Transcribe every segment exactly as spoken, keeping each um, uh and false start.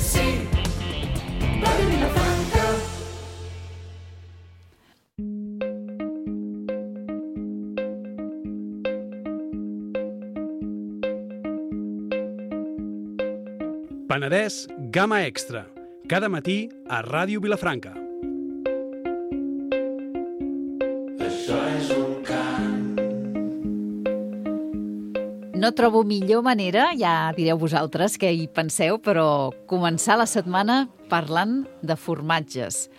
sí, Ràdio Vilafranca. Penedès Gamma Extra, cada matí a Ràdio Vilafranca. Això és un cant. No trobo millor manera, ja direu vosaltres què hi penseu, però començar la setmana parlant de formatges,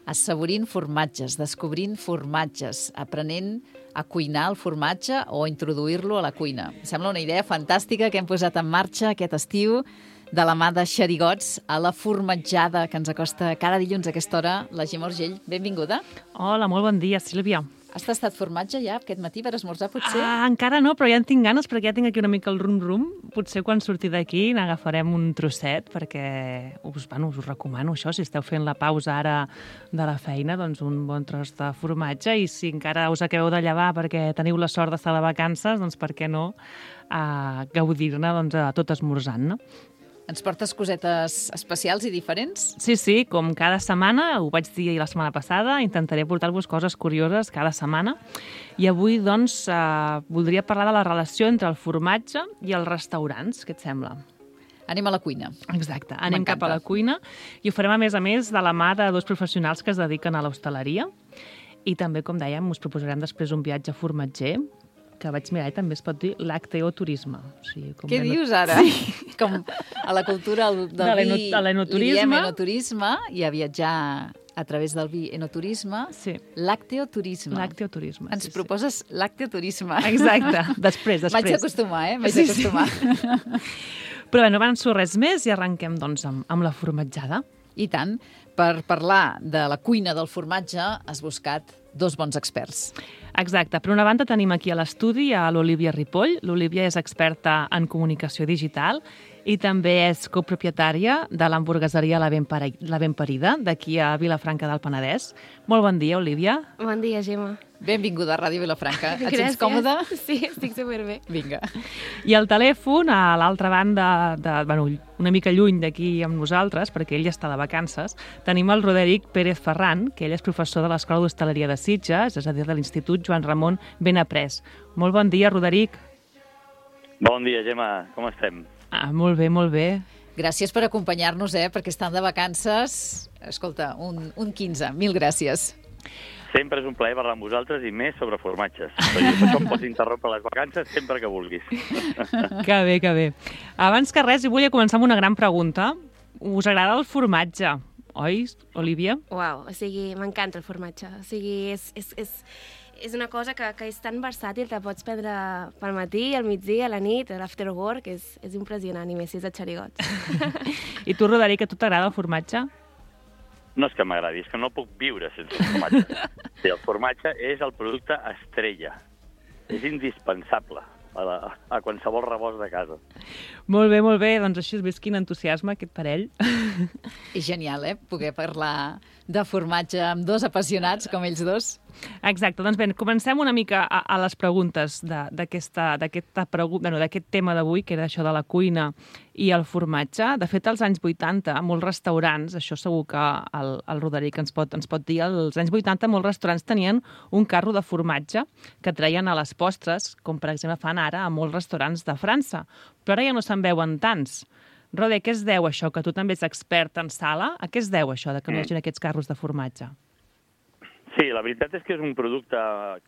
assaborint formatges, descobrint formatges, aprenent a cuinar el formatge o introduir-lo a la cuina. Em sembla una idea fantàstica que hem posat en marxa aquest estiu, de la mà de Xerigots a la formatjada que ens acosta cada dilluns a aquesta hora. La Gemma Urgell, benvinguda. Hola, molt bon dia, Sílvia. Has tastat formatge ja aquest matí per esmorzar, potser? Ah, encara no, però ja en tinc ganes perquè ja tinc aquí una mica el rum-rum. Potser quan surti d'aquí n'agafarem un trosset perquè us, bueno, us ho recomano, això. Si esteu fent la pausa ara de la feina, doncs un bon tros de formatge, i si encara us acabeu de llevar perquè teniu la sort d'estar de vacances, doncs per què no uh, gaudir-ne doncs, a tot esmorzant, no? Ens portes cosetes especials i diferents? Sí, sí, com cada setmana, ho vaig dir la setmana passada, intentaré portar-vos coses curioses cada setmana. I avui, doncs, eh, voldria parlar de la relació entre el formatge i els restaurants. Què et sembla? Anem a la cuina. Exacte, anem cap a la cuina i ho farem, a més a més, de la mà de dos professionals que es dediquen a l'hostaleria. I també, com dèiem, us proposarem després un viatge formatger, que vaig mirar i també es pot dir lacteoturisme. O sigui, com Què l'eno... dius ara? Sí. Com a la cultura del de vi de l'enoturisme. Li diem enoturisme i a viatjar a través del vi enoturisme. Sí. Lacteoturisme. Lacteoturisme. Ens sí, proposes sí. lacteoturisme. Exacte, després, després. Vaig acostumar, eh? Vaig sí, acostumar. Sí. Però bé, no avanço res més i arrenquem doncs amb, amb la formatjada. I tant. Per parlar de la cuina del formatge has buscat dos bons experts. Exacte. Per una banda tenim aquí a l'estudi a l'Olivia Ripoll. L'Olivia és experta en comunicació digital i també és copropietària de l'hamburgueseria La Ben, Pari... La Ben Parida, d'aquí a Vilafranca del Penedès. Molt bon dia, Olivia. Bon dia, Gemma. Benvinguda a Ràdio Vilafranca. Et Gràcies. sents còmoda? Sí, estic superbé. Vinga. I al telèfon, a l'altra banda, de, bueno, una mica lluny d'aquí amb nosaltres, perquè ell ja està de vacances, tenim el Roderic Pérez Ferran, que ell és professor de l'Escola d'Hostaleria de Sitges, és a dir, de l'Institut Joan Ramon Benaprés. Molt bon dia, Roderic. Bon dia, Gemma. Com estem? Ah, molt bé, molt bé. Gràcies per acompanyar-nos, eh? Perquè estan de vacances. Escolta, un, un quinze. Mil gràcies. Sempre és un plaer parlar amb vosaltres i més sobre formatges. Per això em pots interrompre les vacances sempre que vulguis. Que bé, que bé. Abans que res, volia començar amb una gran pregunta. Us agrada el formatge, oi, Olivia? Uau, o sigui, m'encanta el formatge. O sigui, és, és, és, és una cosa que, que és tan versàtil, te pots prendre pel matí, al migdia, a la nit, a l'afterwork, és, és impressionant, i més si és de Xerigots. I tu, Roderic, a tu t'agrada el formatge? No és que m'agradi, és que no puc viure sense el formatge. Sí, el formatge és el producte estrella. És indispensable a, la, a qualsevol rebost de casa. Molt bé, molt bé. Doncs així has vist quin entusiasme aquest parell. És genial, eh? Poder parlar de formatge amb dos apassionats com ells dos. Exacte. Doncs bé, comencem una mica a, a les preguntes d'aquest no, tema d'avui, que era això de la cuina i el formatge. De fet, als anys vuitanta, a molts restaurants, això segur que el, el Roderic ens pot, ens pot dir, als anys vuitanta molts restaurants tenien un carro de formatge que treien a les postres, com per exemple fan ara a molts restaurants de França. Però ara ja no se'n veuen tants. Rode, què es deu això, que tu també ets expert en sala? A què es deu això de que no hi hagi aquests carros de formatge? Sí, la veritat és que és un producte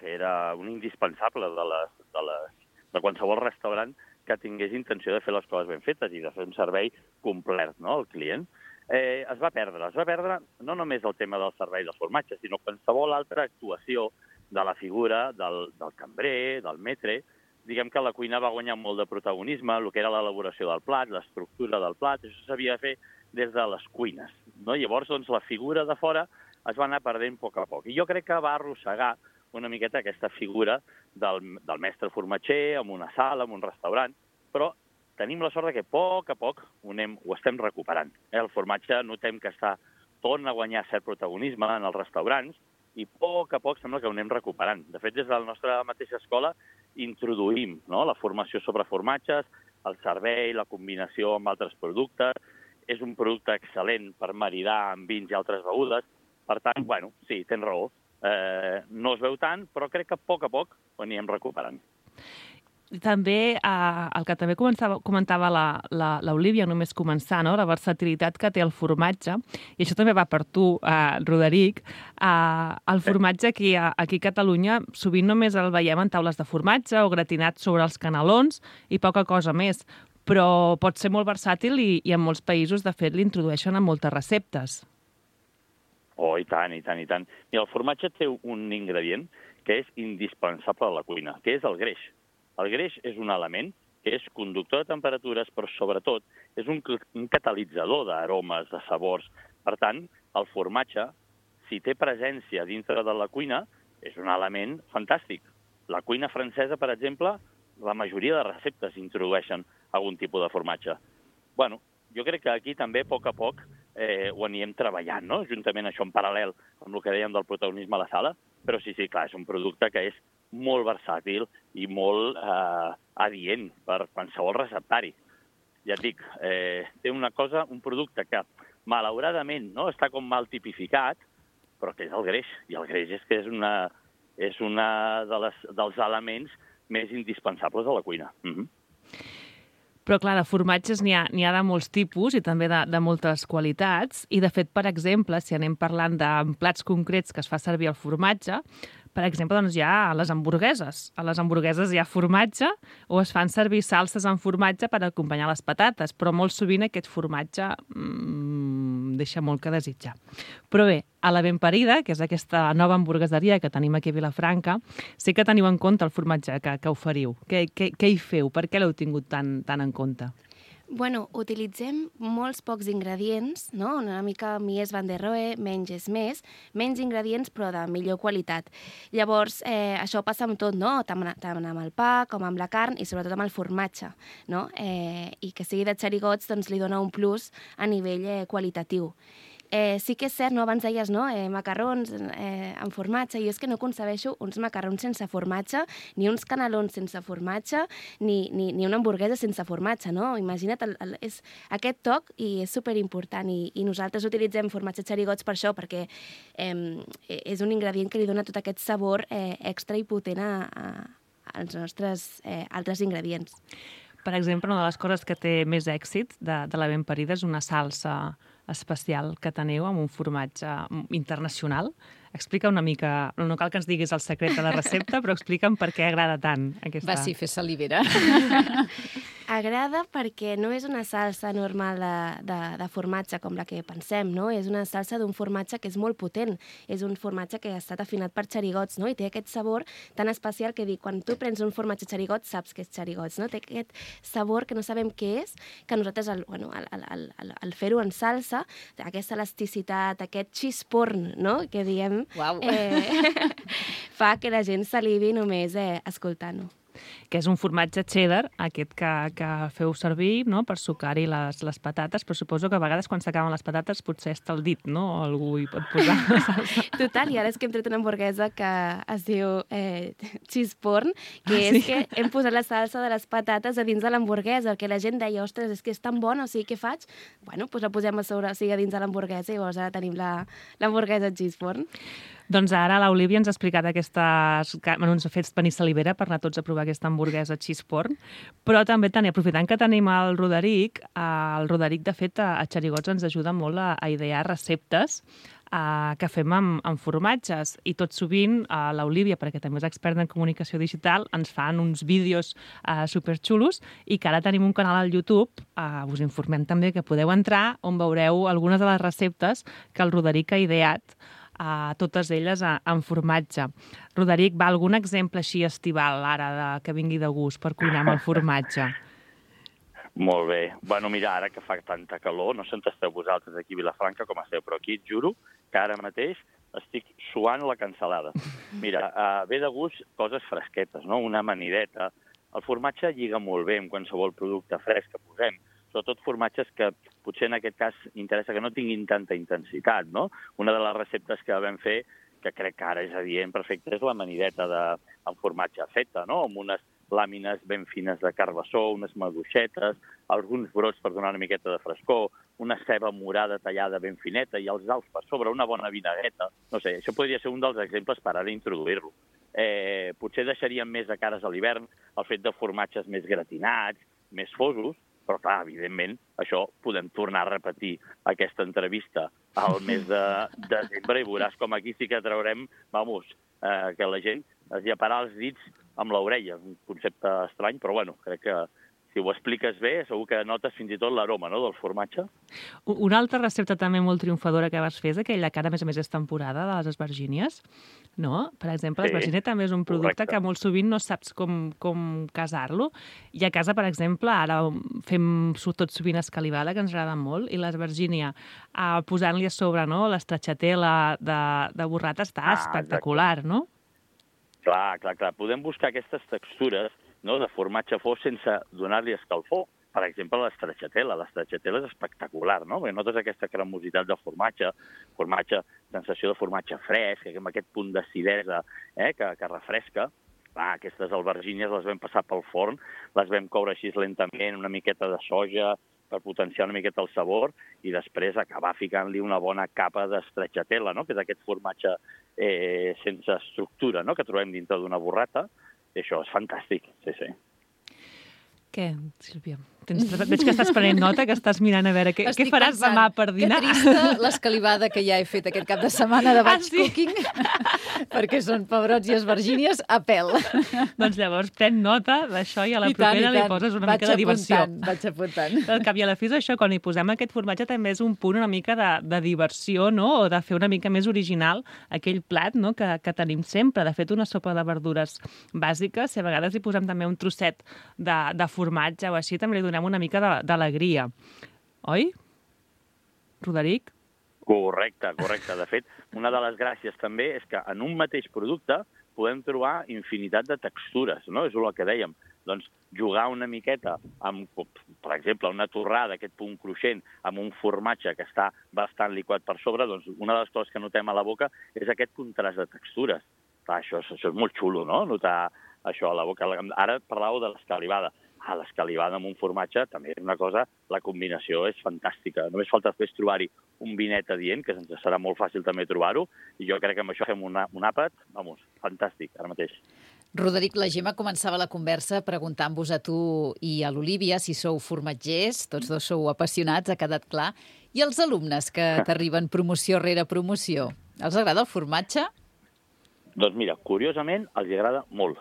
que era un indispensable de, les, de, les, de qualsevol restaurant que tingués intenció de fer les coses ben fetes i de fer un servei complet, no?, al client. Eh, es va perdre. Es va perdre no només el tema del servei dels formatges, sinó qualsevol altra actuació de la figura del, del cambrer, del maître. Diguem que la cuina va guanyar molt de protagonisme, el que era l'elaboració del plat, l'estructura del plat, això s'havia de fer des de les cuines, no? Llavors, doncs, la figura de fora es va anar perdent a poc a poc. I jo crec que va arrossegar una miqueta aquesta figura del, del mestre formatger en una sala, en un restaurant, però tenim la sort que a poc a poc ho, anem, ho estem recuperant. Eh? El formatge notem que està torna a guanyar cert protagonisme en els restaurants i a poc a poc sembla que ho anem recuperant. De fet, des de la nostra mateixa escola introduïm, no?, la formació sobre formatges, el servei, la combinació amb altres productes. és un producte excel·lent per maridar amb vins i altres begudes. Per tant, bueno, sí, tens raó. Eh, no es veu tant, però crec que a poc a poc ho anirem recuperant. També, eh, el que també comentava, comentava l'Olívia, només començar, no? La versatilitat que té el formatge, i això també va per tu, eh, Roderic. Eh, el formatge aquí, aquí a Catalunya sovint només el veiem en taules de formatge o gratinat sobre els canelons i poca cosa més, però pot ser molt versàtil i, i en molts països, de fet, l'introdueixen en moltes receptes. Oh, i tant, i tant, i tant. Mira, el formatge té un ingredient que és indispensable a la cuina, que és el greix. El greix és un element que és conductor de temperatures, però sobretot és un, un catalitzador d'aromes, de sabors. Per tant, el formatge, si té presència dintre de la cuina, és un element fantàstic. La cuina francesa, per exemple, la majoria de receptes introdueixen algun tipus de formatge. Bueno, jo crec que aquí també, a poc a poc, eh, ho anirem treballant, no? Juntament això en paral·lel amb el que dèiem del protagonisme a la sala, però sí, sí, clar, és un producte que és molt versàtil i molt eh, adient per qualsevol receptari. Ja et dic, eh, té una cosa, un producte que, malauradament, no, està com mal tipificat, però que és el greix, i el greix és que és una, és una de les, dels elements més indispensables a la cuina. Mm-hmm. Però, clar, de formatges n'hi ha, n'hi ha de molts tipus i també de, de moltes qualitats. I, de fet, per exemple, si anem parlant de plats concrets que es fa servir el formatge, per exemple, doncs hi ha les hamburgueses. A les hamburgueses hi ha formatge o es fan servir salses amb formatge per acompanyar les patates, però molt sovint aquest formatge mmm, deixa molt que desitjar. Però bé, a la Ben Parida, que és aquesta nova hamburgueseria que tenim aquí a Vilafranca, sé que teniu en compte el formatge que, que oferiu. Què, què, què hi feu? Per què l'heu tingut tan, tan en compte? Bueno, utilitzem molts pocs ingredients, no? Una mica mies van der Rohe, menys és més, menys ingredients però de millor qualitat. Llavors, eh, això passa amb tot, no? Tant, tant amb el pa com amb la carn i sobretot amb el formatge, no? Eh, I que sigui de xerigots doncs li dona un plus a nivell eh, qualitatiu. Eh, sí que és cert, no? Abans deies, no? Eh, macarrons eh, amb formatge. Jo és que no concebeixo uns macarrons sense formatge, ni uns canelons sense formatge, ni, ni, ni una hamburguesa sense formatge, no? Imagina't, el, el, és aquest toc i és superimportant. I, i nosaltres utilitzem formatge xerigots per això, perquè eh, és un ingredient que li dona tot aquest sabor eh, extra i potent a, a, als nostres eh, altres ingredients. Per exemple, una de les coses que té més èxit de, de la Ben Parida és una salsa especial que teniu amb un formatge internacional. Explica una mica, no cal que ens diguis el secret de la recepta, però explica'm per què agrada tant aquesta... Va, sí, fer salivera. Agrada perquè no és una salsa normal de, de, de formatge com la que pensem, no? És una salsa d'un formatge que és molt potent. És un formatge que ha estat afinat per xerigots, no? I té aquest sabor tan especial que dic, quan tu prens un formatge xerigot saps que és xerigots, no? Té aquest sabor que no sabem què és, que nosaltres, al, bueno, al, al, al, al fer-ho en salsa, aquesta elasticitat, aquest cheese porn, no? Que diem, Uau. eh, fa que la gent salivi només eh, escoltant-ho. Que és un formatge cheddar, aquest que, que feu servir, no?, per sucar-hi les, les patates, però suposo que a vegades quan s'acaben les patates potser està el dit, no?, o algú hi pot posar la salsa. Total, i ara és que hem tret una hamburguesa que es diu eh, cheese porn, que Ah, és sí? que hem posat la salsa de les patates a dins de l'hamburguesa, que la gent deia, ostres, és que és tan bona, o sigui, què faig? Bueno, doncs la posem a sobre, o sigui, a dins de l'hamburguesa, i llavors ara tenim la, l'hamburguesa cheese porn. Doncs ara l'Olívia ens ha explicat aquestes... Bueno, ens ha fet venir salivera per anar tots a provar aquesta hamburguesa cheese porn, però també tenia, aprofitant que tenim el Roderic, el Roderic, de fet, a Xerigots ens ajuda molt a, a idear receptes eh, que fem amb, amb formatges, i tot sovint eh, l'Olívia, perquè també és experta en comunicació digital, ens fan uns vídeos eh, superxulos, i que ara tenim un canal al YouTube, eh, us informem també que podeu entrar, on veureu algunes de les receptes que el Roderic ha ideat, a totes elles a, en formatge. Roderic, va, algun exemple així estival ara de, que vingui de gust per cuinar amb el formatge? Molt bé. Bueno, mira, ara que fa tanta calor, no sé on esteu vosaltres aquí a Vilafranca com esteu, però aquí et juro que ara mateix estic suant la cansalada. Mira, uh, ve de gust coses fresquetes, no? Una amanideta. El formatge lliga molt bé amb qualsevol producte fresc que posem, sobretot formatges que potser en aquest cas interessa que no tinguin tanta intensitat, no? Una de les receptes que vam fer, que crec que ara és adient perfecte, és l'amanideta de, amb formatge feta, no? Amb unes làmines ben fines de carbassó, unes maduixetes, alguns brots per donar una miqueta de frescor, una ceba morada tallada ben fineta i els daus per sobre, una bona vinagreta. No sé, això podria ser un dels exemples per ara introduir-lo. Eh, potser deixaríem més de cares a l'hivern el fet de formatges més gratinats, més fosos, però clar, evidentment, això podem tornar a repetir aquesta entrevista al mes de desembre i veuràs com aquí sí que traurem, vamos, eh, que la gent es lleparà els dits amb l'orella, un concepte estrany, però bueno, crec que si ho expliques bé, segur que notes fins i tot l'aroma, no?, del formatge. Una altra recepta també molt triomfadora que vas fer és aquella que ara, a més a més, és temporada de les espargínies, no? Per exemple, Sí, l'espargínia també és un producte correcte. que molt sovint no saps com, com casar-lo. I a casa, per exemple, ara fem tot sovint escalivada, que ens agrada molt, i l'espargínia, eh, posant-li a sobre, no?, l'estracciatella de, de burrata està Ah, espectacular, no? Clar, clar, clar. Podem buscar aquestes textures, no?, de formatge fos sense donar-li escalfor. Per exemple, l'estracciatella. L'estracciatella és espectacular, no?, perquè notes aquesta cremositat de formatge, formatge, sensació de formatge fresc, amb aquest punt d'acidesa eh, que, que refresca. Ah, aquestes albergínies les vam passar pel forn, les vam coure així lentament, una miqueta de soja per potenciar una miqueta el sabor i després acabar ficant-li una bona capa d'estracciatella, no?, que és aquest formatge eh, sense estructura, no?, que trobem dintre d'una burrata. I això és fantàstic, sí, sí. Què, Sílvia? Tens, veig que estàs prenent nota, que estàs mirant a veure què, què Estic faràs pensant, demà per dinar. Que trista l'escalivada que ja he fet aquest cap de setmana de batch Ah, sí? cooking, perquè són pebrots i esvergínies a pèl. Doncs llavors pren nota d'això i a la I tant, propera i li tant. poses una Vaig mica de diversió. apuntant, Vaig apuntant. Al cap i a la fi és això, quan hi posem aquest formatge també és un punt una mica de, de diversió, no?, o de fer una mica més original aquell plat, no?, que, que tenim sempre. De fet, una sopa de verdures bàsica, si a vegades hi posem també un trosset de, de formatge o així, també li donem una mica de, d'alegria. Oi, Roderic? Correcte, correcte. De fet, una de les gràcies també és que en un mateix producte podem trobar infinitat de textures, no? És el que dèiem. Doncs jugar una miqueta amb, per exemple, una torrada, aquest punt cruixent, amb un formatge que està bastant liquat per sobre, doncs una de les coses que notem a la boca és aquest contrast de textures. Clar, això, és, això és molt xulo, no?, notar això a la boca. Ara parlàveu de l'escalivada. Ah, l'escalivada amb un formatge també és una cosa, la combinació és fantàstica. Només falta després trobar-hi un vinet adient, que ens serà molt fàcil també trobar-ho, i jo crec que amb això fem un, un àpat, vamos, fantàstic, ara mateix. Roderic, la Gemma començava la conversa preguntant-vos a tu i a l'Olívia si sou formatgers, tots dos sou apassionats, ha quedat clar. I els alumnes que t'arriben promoció rere promoció, els agrada el formatge? Doncs mira, curiosament, els agrada molt,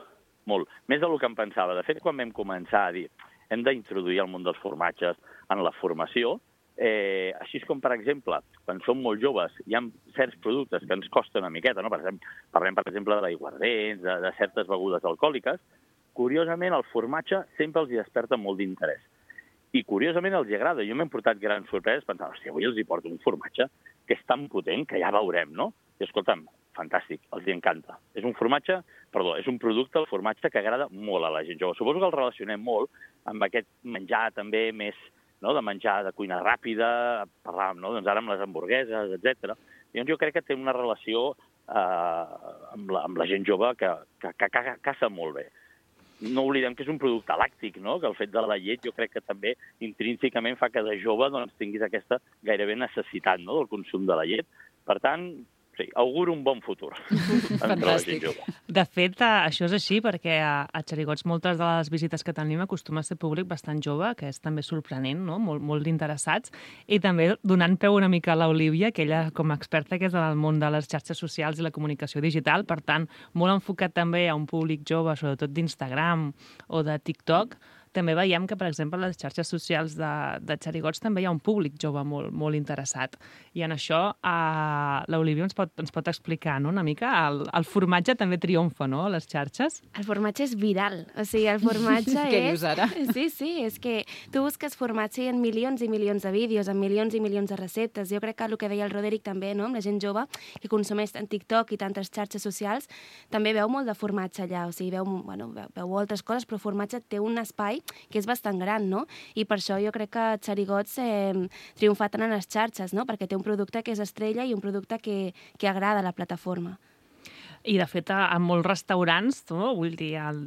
molt. Més del que em pensava. De fet, quan vam començar a dir hem d'introduir el món dels formatges en la formació, eh, així com, per exemple, quan som molt joves, hi ha certs productes que ens costen una miqueta, no? Per exemple, parlem, per exemple, d'aiguardents, de, de certes begudes alcohòliques. Curiosament, el formatge sempre els hi desperta molt d'interès. I, curiosament, els hi agrada. Jo m'he portat grans sorpreses pensant, hòstia, avui els hi porto un formatge que és tan potent que ja veurem, no? I, escolta'm, fantàstic, els hi encanta. És un formatge, perdó, és un producte, el formatge, que agrada molt a la gent jove. Suposo que el relacionem molt amb aquest menjar també més, no?, de menjar de cuina ràpida, parlàvem, no?, doncs ara amb les hamburgueses, etcètera. I jo crec que té una relació eh, amb, la, amb la gent jove que, que, que, que caça molt bé. No oblidem que és un producte làctic, no?, que el fet de la llet jo crec que també intrínsecament fa que de jove doncs, tinguis aquesta gairebé necessitat, no?, del consum de la llet. Per tant, sí, auguro un bon futur entre la gent jove. De fet, això és així, perquè a, a Xerigots moltes de les visites que tenim acostuma a ser públic bastant jove, que és també sorprenent, no?, molt, molt interessats, i també donant peu una mica a l'Olívia, que ella, com a experta, que és en el món de les xarxes socials i la comunicació digital, per tant, molt enfocat també a un públic jove, sobretot d'Instagram o de TikTok. També veiem que, per exemple, a les xarxes socials de, de Xerigots també hi ha un públic jove molt, molt interessat. I en això eh, l'Olívia ens pot, ens pot explicar, no?, una mica. El, el formatge també triomfa, no?, a les xarxes. El formatge és viral. O sigui, el formatge és... Què dius ara? Sí, sí, és que tu busques formatge i en milions i milions de vídeos, en milions i milions de receptes. Jo crec que el que deia el Roderic també, no?, amb la gent jove que consumeix tant TikTok i tantes xarxes socials, també veu molt de formatge allà. O sigui, veu, bueno, veu, veu altres coses, però formatge té un espai que és bastant gran, no? I per això jo crec que Xerigots eh, triomfa tant en les xarxes, no?, perquè té un producte que és estrella i un producte que, que agrada a la plataforma. I, de fet, a, a molts restaurants, no? Vull dir, el,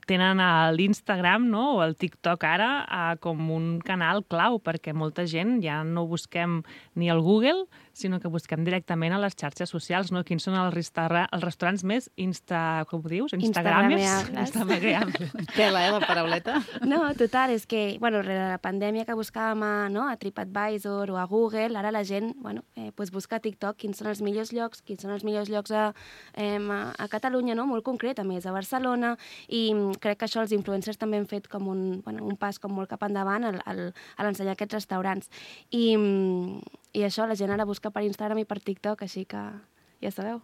tenen a l'Instagram, no?, o el TikTok ara a, com un canal clau, perquè molta gent ja no busquem ni al Google, sinó que busquem directament a les xarxes socials, no? Quins són els, restaura els restaurants més insta... com ho dius? Instagramers? Instagrameables. Tela, eh, la parauleta. No, total, és que, bueno, rere la pandèmia que buscàvem a, no, a TripAdvisor o a Google, ara la gent, bueno, eh, pues busca a TikTok quins són els millors llocs, quins són els millors llocs a, eh, a, a Catalunya, no?, molt concret, a més, a Barcelona, i crec que això els influencers també han fet com un, bueno, un pas com molt cap endavant al, al, a l'ensenyar aquests restaurants. I, I això, la gent ara busca per Instagram i per TikTok, així que ja sabeu.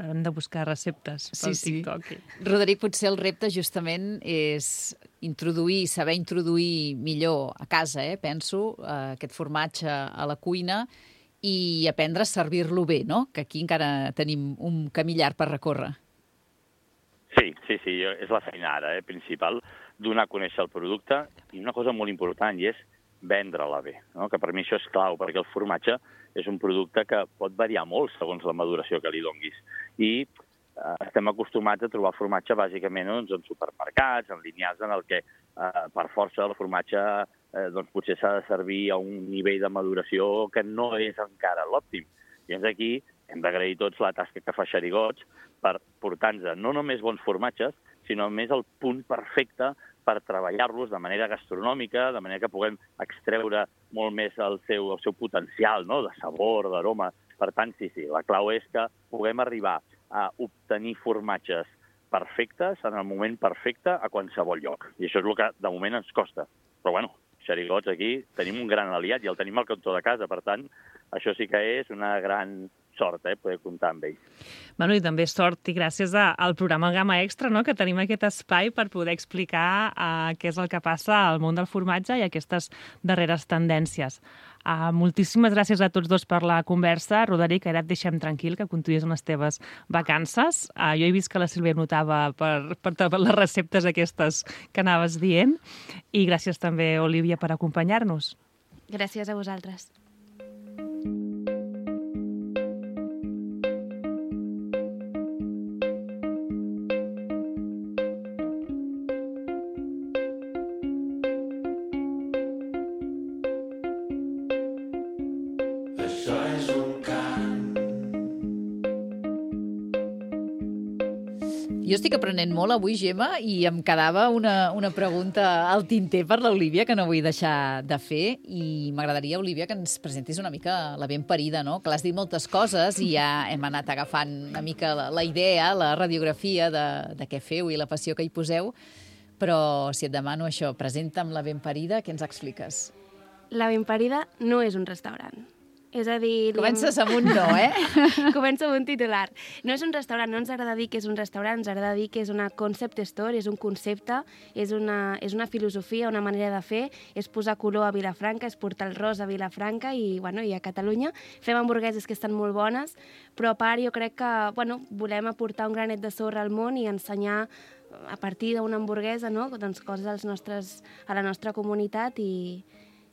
Hem de buscar receptes pel Sí, sí. TikTok. Roderic, potser el repte justament és introduir, saber introduir millor a casa, eh, penso, eh, aquest formatge a la cuina i aprendre a servir-lo bé, no? Que aquí encara tenim un camí llarg per recórrer. Sí, sí, sí, és la feina ara, eh, principal, donar a conèixer el producte i una cosa molt important, i és vendre-la bé, no? Que per mi això és clau, perquè el formatge és un producte que pot variar molt segons la maduració que li donguis. I eh, estem acostumats a trobar formatge bàsicament doncs, en supermercats, en lineals en el que eh, per força el formatge eh, doncs, potser s'ha de servir a un nivell de maduració que no és encara l'òptim. I doncs aquí hem d'agrair tots la tasca que fa Xerigots per portar-nos no només bons formatges, sinó més el punt perfecte per treballar-los de manera gastronòmica, de manera que puguem extreure molt més el seu, el seu potencial, no?, de sabor, d'aroma. Per tant, sí, sí, la clau és que puguem arribar a obtenir formatges perfectes en el moment perfecte a qualsevol lloc. I això és el que de moment ens costa. Però, bueno, Xerigots aquí tenim un gran aliat i el tenim al cantó de casa. Per tant, això sí que és una gran sort, eh, poder comptar amb ells. Bueno, i també sort i gràcies a, al programa Gamma Extra, no?, que tenim aquest espai per poder explicar uh, què és el que passa al món del formatge i aquestes darreres tendències. Uh, moltíssimes gràcies a tots dos per la conversa. Roderic, ara et deixem tranquil, que continuïs amb les teves vacances. Uh, jo he vist que la Sílvia notava per, per, per les receptes aquestes que anaves dient. I gràcies també, Olivia, per acompanyar-nos. Gràcies a vosaltres. Això és un cant. Jo estic aprenent molt avui, Gemma, i em quedava una, una pregunta al tinter per l'Olivia que no vull deixar de fer, i m'agradaria, Olivia, que ens presentis una mica la ben parida, no? Que l'has dit moltes coses i ja hem anat agafant una mica la, la idea, la radiografia de, de què feu i la passió que hi poseu, però si et demano això, presenta'm la ben parida, què ens expliques? La Ben Parida no és un restaurant. És a dir... Comences amb un no, eh? Començo amb un titular. No és un restaurant, no ens agrada dir que és un restaurant, ens agrada dir que és una concept store, és un concepte, és una, és una filosofia, una manera de fer, és posar color a Vilafranca, és portar el ros a Vilafranca i, bueno, i a Catalunya. Fem hamburgueses que estan molt bones, però a part jo crec que, bueno, volem aportar un granet de sorra al món i ensenyar a partir d'una hamburguesa, no?, doncs coses als nostres, a la nostra comunitat i,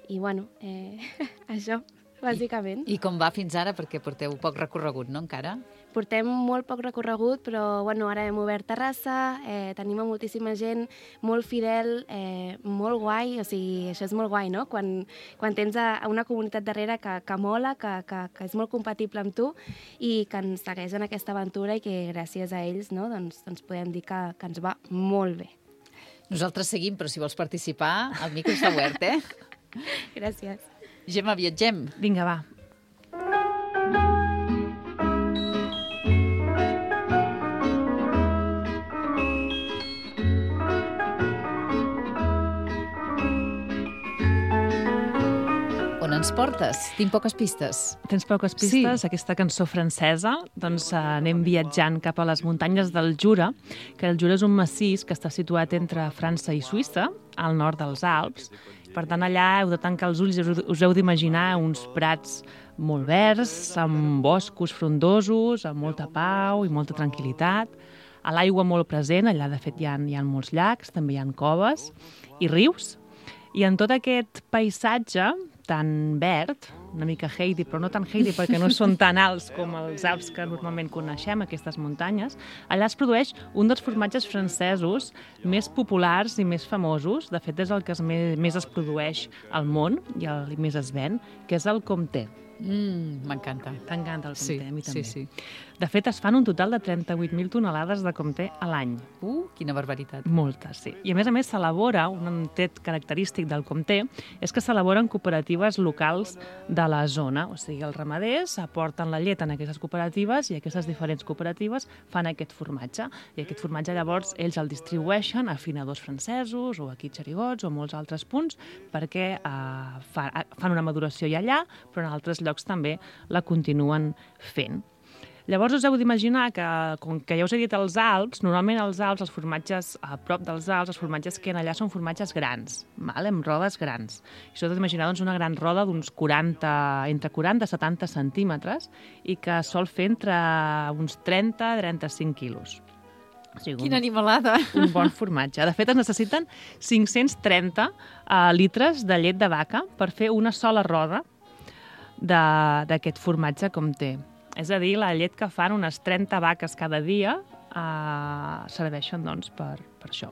i bueno, eh, això, bàsicament. I, I com va fins ara? Perquè porteu poc recorregut, no, encara? Portem molt poc recorregut, però bueno, ara hem obert terrassa, eh, tenim a moltíssima gent molt fidel, eh, molt guai, o sigui, això és molt guai, no? Quan, quan tens a, a una comunitat darrere que, que mola, que, que, que és molt compatible amb tu i que ens segueix en aquesta aventura i que gràcies a ells, no?, doncs, doncs podem dir que, que ens va molt bé. Nosaltres seguim, però si vols participar, el micro està obert, eh? Gràcies. Gemma, viatgem. Vinga, va. On ens portes? Tinc poques pistes. Tens poques pistes? Sí. Aquesta cançó francesa, doncs eh, anem viatjant cap a les muntanyes del Jura, que el Jura és un massís que està situat entre França i Suïssa, al nord dels Alps. Per tant, allà heu de tancar els ulls i us, us heu d'imaginar uns prats molt verds, amb boscos frondosos, amb molta pau i molta tranquil·litat, a l'aigua molt present, allà de fet hi ha, hi ha molts llacs, també hi ha coves i rius, i en tot aquest paisatge tan verd, una mica Heidi, però no tan Heidi perquè no són tan alts com els Alps que normalment coneixem, aquestes muntanyes. Allà es produeix un dels formatges francesos més populars i més famosos. De fet, és el que es més, més es produeix al món i el més es ven, que és el Comté. Mm, m'encanta. T'encanta el Comté, Sí, a mi també. sí, sí. De fet, es fan un total de trenta-vuit mil tonelades de Comté a l'any. Uh, quina barbaritat. Moltes, sí. I a més a més s'elabora, un tret característic del Comté, és que s'elaboren cooperatives locals de la zona. O sigui, els ramaders aporten la llet en aquestes cooperatives i aquestes diferents cooperatives fan aquest formatge. I aquest formatge llavors ells el distribueixen a afinadors francesos o aquí a Xerigots o a molts altres punts perquè eh, fa, fan una maduració ja allà, però en altres llocs també la continuen fent. Llavors us heu d'imaginar que, com que ja us he dit els Alps, normalment els Alps, els formatges a prop dels Alps, els formatges que hi ha allà són formatges grans, val? Amb rodes grans. I això t'has d'imaginar doncs, una gran roda d'uns quaranta, entre quaranta i setanta centímetres i que sol fer entre uns trenta a trenta-cinc quilos. O sigui, Quina un, animalada! un bon formatge. De fet, es necessiten cinc-cents trenta uh, litres de llet de vaca per fer una sola roda d'aquest formatge Comté. És a dir, la llet que fan unes trenta vaques cada dia eh, serveixen doncs, per, per això.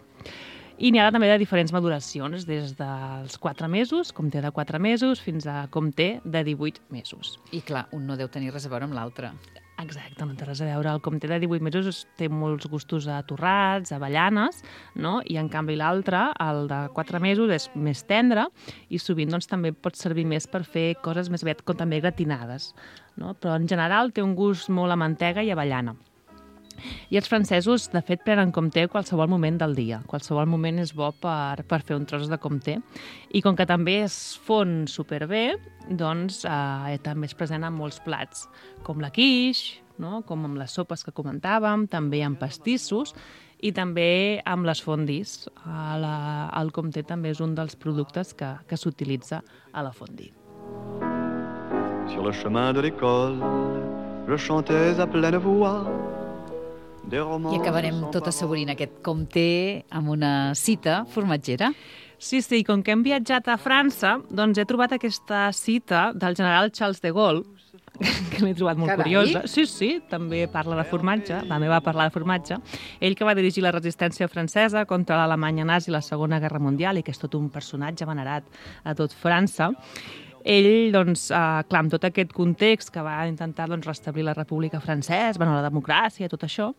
I n'hi ha també de diferents maduracions, des dels quatre mesos, Comté de quatre mesos, fins a Comté de divuit mesos. I clar, un no deu tenir res a veure amb l'altre. Exacte, no té res a veure. El Comté de divuit mesos té molts gustos a torrats, a avellanes, no? I en canvi l'altre, el de quatre mesos, és més tendre i sovint doncs, també pot servir més per fer coses més aviat com també gratinades, no? Però en general té un gust molt a mantega i avellana. I els francesos, de fet, prenen Comté qualsevol moment del dia. Qualsevol moment és bo per, per fer un tros de Comté. I com que també es fon superbé, doncs eh, també és present en molts plats, com la quiche, no? Com amb les sopes que comentàvem, també en pastissos i també amb les fondis. La, el Comté també és un dels productes que, que s'utilitza a la fondue. Sur le chemin de l'école, je chantais à pleine voix. I acabarem tot assaborint aquest Comté amb una cita formatgera. Sí, sí, com que hem viatjat a França, doncs he trobat aquesta cita del general Charles de Gaulle, que l'he trobat molt Carai. curiosa. Sí, sí, també parla de formatge, també va parlar de formatge. Ell que va dirigir la resistència francesa contra l'Alemanya nazi a la Segona Guerra Mundial i que és tot un personatge venerat a tot França. Ell, doncs, eh, clar, amb tot aquest context que va intentar doncs, restablir la República Francesa, bueno, la democràcia, tot això,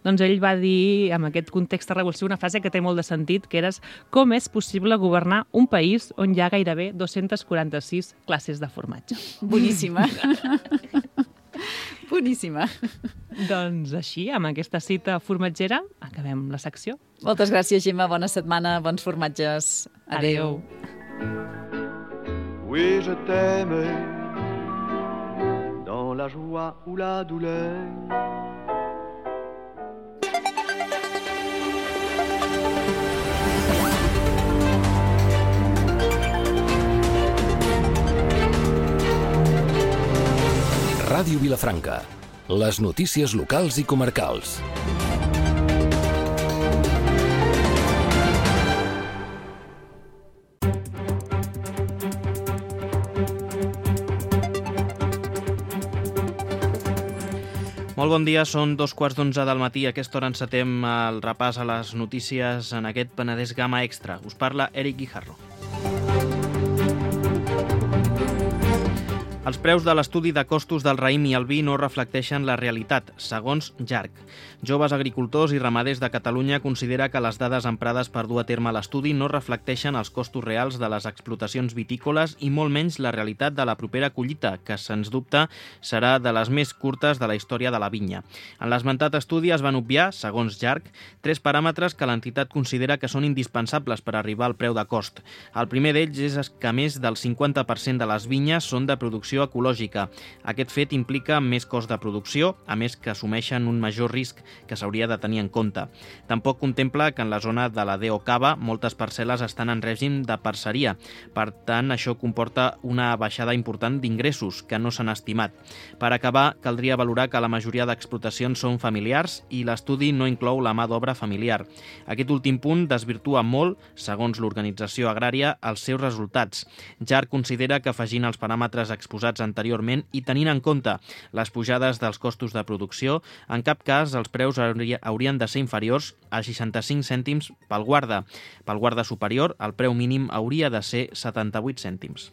doncs ell va dir, amb aquest context revulsiu, una frase que té molt de sentit, que era com és possible governar un país on hi ha gairebé dos-centes quaranta-sis classes de formatge. Boníssima. Boníssima. Doncs així, amb aquesta cita formatgera, acabem la secció. Moltes gràcies, Gemma. Bona setmana, bons formatges. Adéu. Oui, je t'aime, dans la joie ou la douleur. Ràdio Vilafranca. Les notícies locals i comarcals. Molt bon dia, són dos quarts d'onze del matí. A aquesta hora encetem el repàs a les notícies en aquest Penedès Gamma Extra. Us parla Eric Guijarro. Els preus de l'estudi de costos del raïm i el vi no reflecteixen la realitat, segons Jarc. Joves Agricultors i Ramaders de Catalunya considera que les dades emprades per dur a terme l'estudi no reflecteixen els costos reals de les explotacions vitícoles i molt menys la realitat de la propera collita, que, sens dubte, serà de les més curtes de la història de la vinya. En l'esmentat estudi es van obviar, segons Jarc, tres paràmetres que l'entitat considera que són indispensables per arribar al preu de cost. El primer d'ells és que més del cinquanta per cent de les vinyes són de producció producció ecològica. Aquest fet implica més cost de producció, a més que assumeixen un major risc que s'hauria de tenir en compte. Tampoc contempla que en la zona de la D O Cava moltes parcel·les estan en règim de parceria. Per tant, això comporta una baixada important d'ingressos que no s'han estimat. Per acabar, caldria valorar que la majoria d'explotacions són familiars i l'estudi no inclou la mà d'obra familiar. Aquest últim punt desvirtua molt, segons l'organització agrària, els seus resultats. Jarc considera que afegint els paràmetres exposats anteriorment i tenint en compte les pujades dels costos de producció, en cap cas els preus haurien de ser inferiors a seixanta-cinc cèntims pel guarda. Pel guarda superior, el preu mínim hauria de ser setanta-vuit cèntims.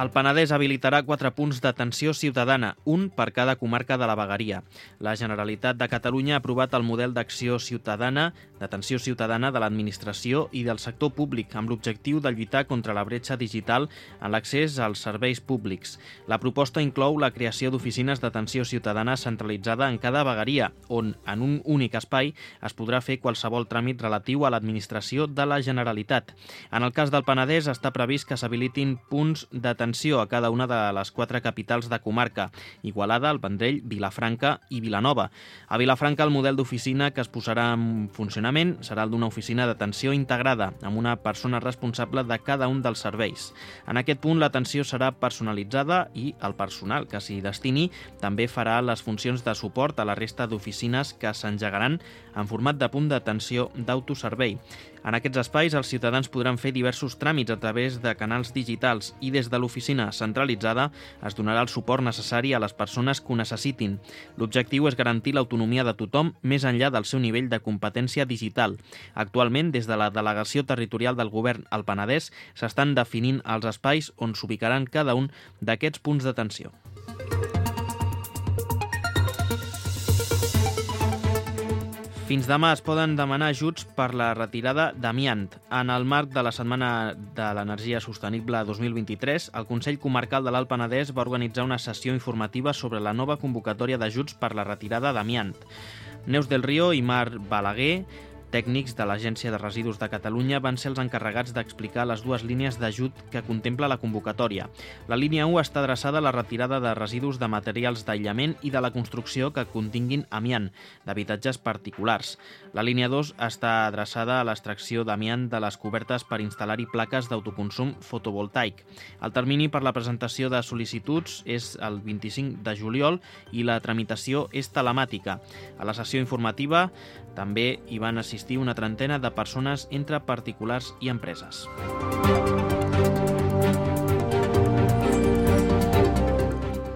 El Penedès habilitarà quatre punts d'atenció ciutadana, un per cada comarca de la vegueria. La Generalitat de Catalunya ha aprovat el model d'acció ciutadana, d'atenció ciutadana de l'administració i del sector públic, amb l'objectiu de lluitar contra la bretxa digital en l'accés als serveis públics. La proposta inclou la creació d'oficines d'atenció ciutadana centralitzada en cada vegueria, on, en un únic espai, es podrà fer qualsevol tràmit relatiu a l'administració de la Generalitat. En el cas del Penedès està previst que s'habilitin punts d'atenció a cada una de les quatre capitals de comarca, Igualada, el Vendrell, Vilafranca i Vilanova. A Vilafranca, el model d'oficina que es posarà en funcionament serà el d'una oficina d'atenció integrada, amb una persona responsable de cada un dels serveis. En aquest punt, l'atenció serà personalitzada i el personal que s'hi destini també farà les funcions de suport a la resta d'oficines que s'engegaran en format de punt d'atenció d'autoservei. En aquests espais, els ciutadans podran fer diversos tràmits a través de canals digitals i des de l'oficina centralitzada es donarà el suport necessari a les persones que ho necessitin. L'objectiu és garantir l'autonomia de tothom més enllà del seu nivell de competència digital. Actualment, des de la Delegació Territorial del Govern al Penedès, s'estan definint els espais on s'ubicaran cada un d'aquests punts d'atenció. Fins demà es poden demanar ajuts per la retirada d'amiant. En el marc de la Setmana de l'Energia Sostenible dos mil vint-i-tres, el Consell Comarcal de l'Alt Penedès va organitzar una sessió informativa sobre la nova convocatòria d'ajuts per la retirada d'amiant. Neus del Río i Marc Balaguer, tècnics de l'Agència de Residus de Catalunya, van ser els encarregats d'explicar les dues línies d'ajut que contempla la convocatòria. La línia u està adreçada a la retirada de residus de materials d'aïllament i de la construcció que continguin amiant, d'habitatges particulars. La línia dos està adreçada a l'extracció d'amiant de les cobertes per instal·lar-hi plaques d'autoconsum fotovoltaic. El termini per la presentació de sol·licituds és el vint-i-cinc de juliol i la tramitació és telemàtica. A la sessió informativa també hi van assistir una trentena de persones entre particulars i empreses.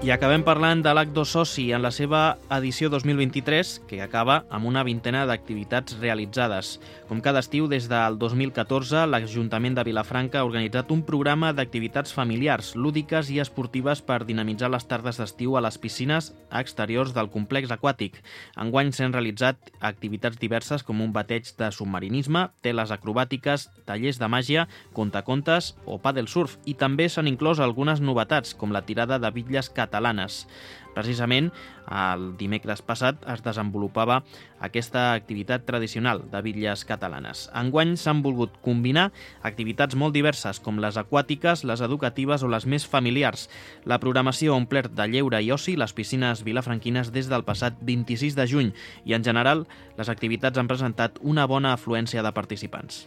I acabem parlant de l'Acto Soci en la seva edició dos mil vint-i-tres, que acaba amb una vintena d'activitats realitzades. Com cada estiu, des del dos mil catorze, l'Ajuntament de Vilafranca ha organitzat un programa d'activitats familiars, lúdiques i esportives per dinamitzar les tardes d'estiu a les piscines exteriors del complex aquàtic. Enguany s'han realitzat activitats diverses com un bateig de submarinisme, teles acrobàtiques, tallers de màgia, contacontes o pàdel surf, i també s'han inclòs algunes novetats, com la tirada de bitlles catalanes. Precisament, el dimecres passat es desenvolupava aquesta activitat tradicional de bitlles catalanes. Enguany s'han volgut combinar activitats molt diverses, com les aquàtiques, les educatives o les més familiars. La programació ha omplert de lleure i oci les piscines vilafranquines des del passat vint-i-sis de juny i, en general, les activitats han presentat una bona afluència de participants.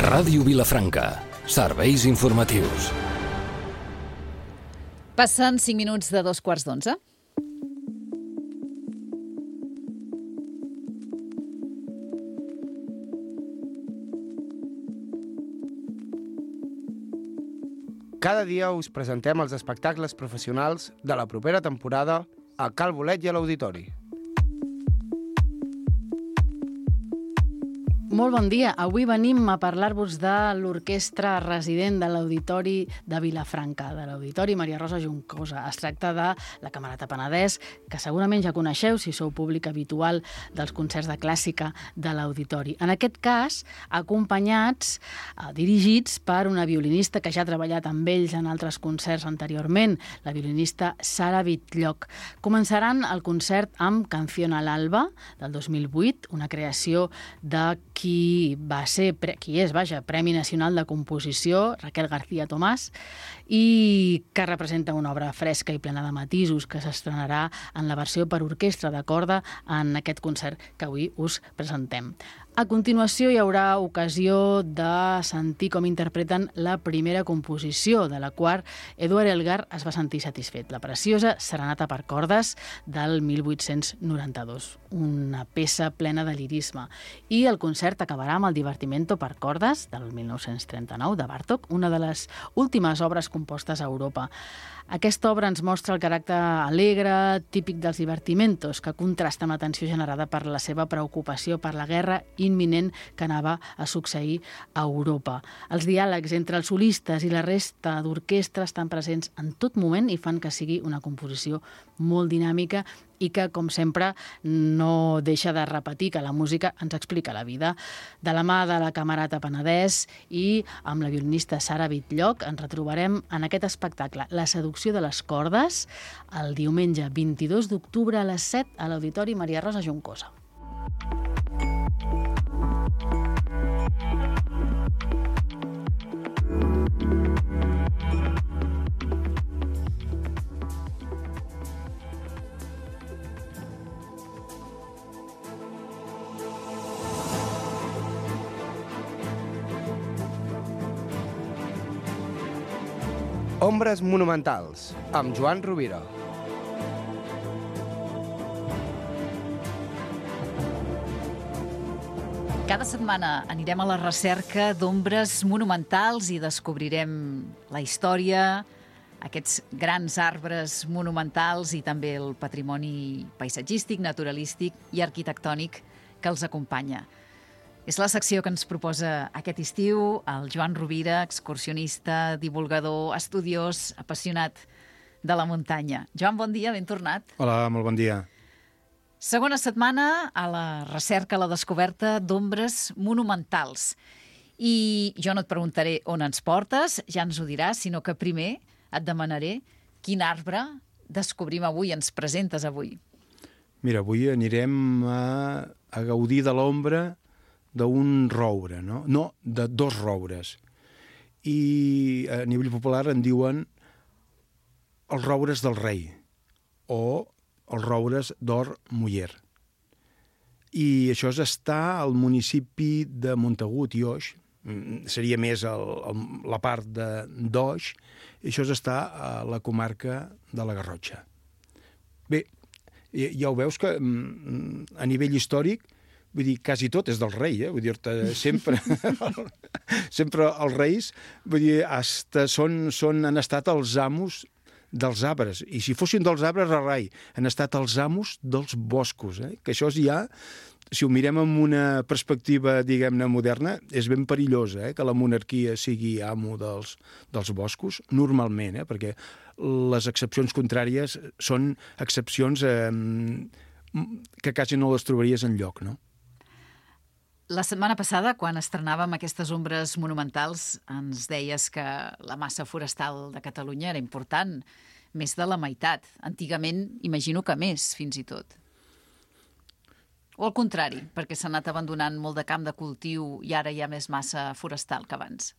Ràdio Vilafranca. Serveis informatius. Passen cinc minuts de dos quarts d'onze. Cada dia us presentem els espectacles professionals de la propera temporada a Cal Bolet i a l'Auditori. Molt bon dia. Avui venim a parlar-vos de l'orquestra resident de l'Auditori de Vilafranca, de l'Auditori Maria Rosa Juncosa. Es tracta de la Camerata Penedès, que segurament ja coneixeu si sou públic habitual dels concerts de clàssica de l'Auditori. En aquest cas, acompanyats, eh, dirigits per una violinista que ja ha treballat amb ells en altres concerts anteriorment, la violinista Sara Bitlloch. Començaran el concert amb Canción al Alba, del dos mil vuit, una creació de qui va ser, qui és, vaja, Premi Nacional de Composició, Raquel García Tomàs, i que representa una obra fresca i plena de matisos que s'estrenarà en la versió per orquestra de corda en aquest concert que avui us presentem. A continuació hi haurà ocasió de sentir com interpreten la primera composició, de la qual Eduard Elgar es va sentir satisfet, la preciosa Serenata per cordes del mil vuit-cents noranta-dos, una peça plena de lirisme. I el concert acabarà amb el Divertimento per cordes del mil nou-cents trenta-nou de Bartók, una de les últimes obres compostes a Europa. Aquesta obra ens mostra el caràcter alegre, típic dels divertimentos, que contrasta amb la tensió generada per la seva preocupació per la guerra imminent que anava a succeir a Europa. Els diàlegs entre els solistes i la resta d'orquestra estan presents en tot moment i fan que sigui una composició molt dinàmica i que, com sempre, no deixa de repetir que la música ens explica la vida. De la mà de la Camerata Penedès i amb la violinista Sara Bitlloch ens retrobarem en aquest espectacle, La seducció de les cordes, el diumenge vint-i-dos d'octubre a les set a l'Auditori Maria Rosa Juncosa. Ombres monumentals, amb Joan Rovira. Cada setmana anirem a la recerca d'ombres monumentals i descobrirem la història, aquests grans arbres monumentals i també el patrimoni paisatgístic, naturalístic i arquitectònic que els acompanya. És la secció que ens proposa aquest estiu el Joan Rovira, excursionista, divulgador, estudiós, apassionat de la muntanya. Joan, bon dia, ben tornat. Hola, molt bon dia. Segona setmana a la recerca, a la descoberta d'ombres monumentals. I jo no et preguntaré on ens portes, ja ens ho diràs, sinó que primer et demanaré quin arbre descobrim avui, ens presentes avui. Mira, avui anirem a, a gaudir de l'ombra d'un roure, no? No, de dos roures. I a nivell popular en diuen els roures del rei o els roures d'Or Muller. I això està al municipi de Montagut i Oix, seria més el, el, la part d'Oix, i això està a la comarca de la Garrotxa. Bé, ja ho veus que a nivell històric vull dir, quasi tot és del rei, eh? Vull dir-te, sempre, sempre els reis, vull dir, hasta són, són, han estat els amos dels arbres. I si fossin dels arbres, rai, han estat els amos dels boscos, eh? Que això és ja, si ho mirem amb una perspectiva, diguem-ne, moderna, és ben perillós, eh? Que la monarquia sigui amo dels, dels boscos, normalment, eh? Perquè les excepcions contràries són excepcions eh, que quasi no les trobaries enlloc, no? La setmana passada, quan estrenàvem aquestes ombres monumentals, ens deies que la massa forestal de Catalunya era important, més de la meitat. Antigament, imagino que més, fins i tot. O al contrari, perquè s'ha anat abandonant molt de camp de cultiu i ara hi ha més massa forestal que abans.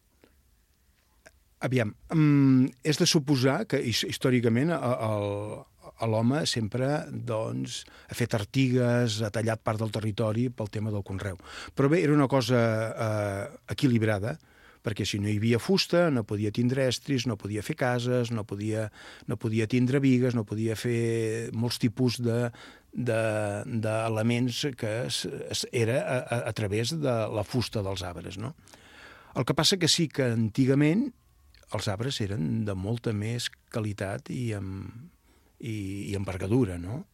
Aviam, um, és de suposar que històricament el... l'home sempre doncs, ha fet artigues, ha tallat part del territori pel tema del conreu. Però bé, era una cosa eh, equilibrada, perquè si no hi havia fusta, no podia tindre estris, no podia fer cases, no podia, no podia tindre bigues, no podia fer molts tipus de, de, d'elements que es, es, era a, a través de la fusta dels arbres, no? El que passa que sí que antigament els arbres eren de molta més qualitat i amb i, i envergadura, no?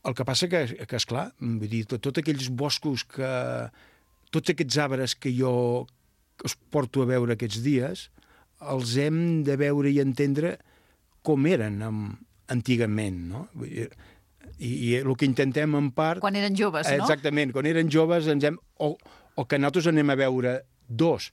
El que passa que, que esclar, vull dir, tots tot aquells boscos que... tots aquests arbres que jo us porto a veure aquests dies, els hem de veure i entendre com eren amb, antigament, no? I, I el que intentem en part... Quan eren joves, no? Exactament, quan eren joves ens hem... O, o que nosaltres anem a veure dos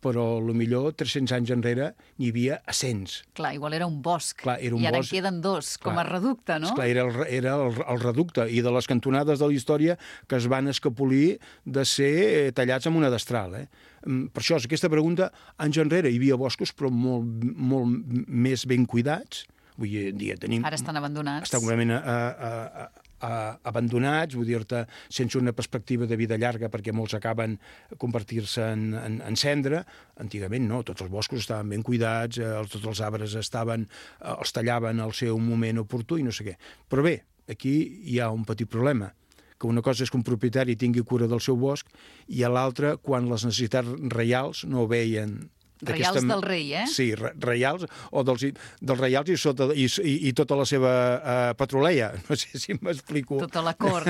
però millor tres-cents anys enrere n'hi havia a cents. Clar, igual era un bosc, Clar, era un i ara bosc... en queden dos, com a reducte, no? Esclar, era, el, era el, el reducte, i de les cantonades de la història que es van escapolir de ser tallats amb una destral. Eh? Per això, aquesta pregunta, anys enrere hi havia boscos, però molt, molt més ben cuidats. Avui en dia tenim... Ara estan abandonats. Estan completament a, a, a, a, abandonats, vull dir-te, sense una perspectiva de vida llarga, perquè molts acaben convertir-se en, en, en cendra. Antigament no, tots els boscos estaven ben cuidats, eh, tots els arbres estaven, eh, els tallaven al seu moment oportú i no sé què. Però bé, aquí hi ha un petit problema, que una cosa és que un propietari tingui cura del seu bosc i a l'altra, quan les necessitats reials no veien... Reials del rei, eh? Sí, reials, o dels, dels reials i, sota, i, i, i tota la seva uh, patrulleia. No sé si m'explico. Tota la cort.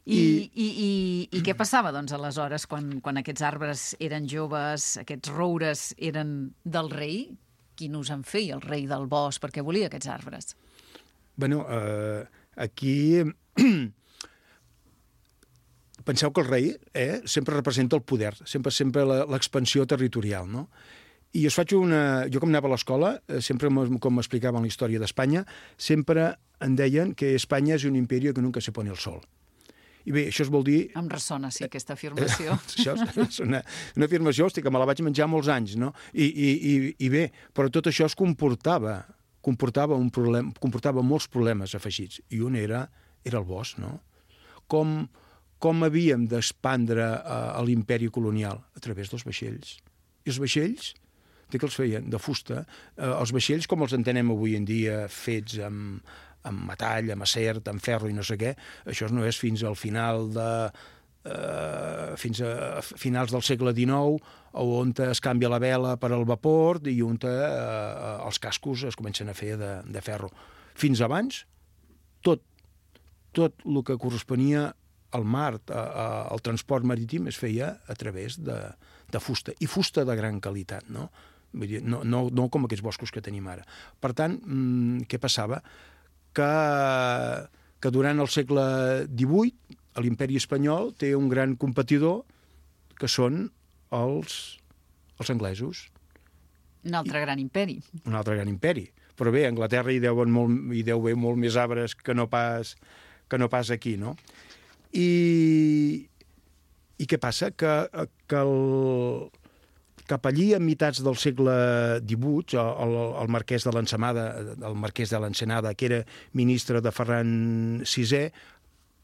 I, I, i, i, I què passava, doncs, aleshores, quan, quan aquests arbres eren joves, aquests roures eren del rei? Quin us en feia el rei del bosc? Per què volia aquests arbres? Bueno, uh, aquí... Penseu que el rei eh, sempre representa el poder, sempre sempre l'expansió territorial, no? I us faig una... Jo, com anava a l'escola, sempre, com m'explicaven la història d'Espanya, sempre em deien que Espanya és un imperi que nunca se pone el sol. I bé, això es vol dir... Em ressona, sí, aquesta afirmació. Això és una, una afirmació, hosti, que me la vaig menjar molts anys, no? I, i, i, i bé, però tot això es comportava, comportava, un problem, comportava molts problemes afegits, i un era, era el bosc, no? Com... Com havíem d'expandre uh, l'imperi colonial? A través dels vaixells. I els vaixells, de què els feien? De fusta. Uh, els vaixells, com els entenem avui en dia, fets amb, amb metall, amb acer, amb ferro i no sé què, això no és fins al final de... Uh, fins a finals del segle dinou, on es canvia la vela per al vapor i on uh, els cascos es comencen a fer de, de ferro. Fins abans, tot, tot el que corresponia al mar, el transport marítim es feia a través de, de fusta, i fusta de gran qualitat, no? Vull dir, no, no, no com aquests boscos que tenim ara. Per tant, mmm, què passava? Que, que durant el segle divuit l'imperi espanyol té un gran competidor que són els, els anglesos. Un altre gran imperi. Un altre gran imperi. Però bé, a Anglaterra hi deuen, molt, hi deu haver molt més arbres que no pas, que no pas aquí, no? I, i què passa? Que, que el, cap allí, a mitats del segle divuit, el, el marquès de l'Ensenada, el marquès de l'Ensenada, que era ministre de Ferran sisè,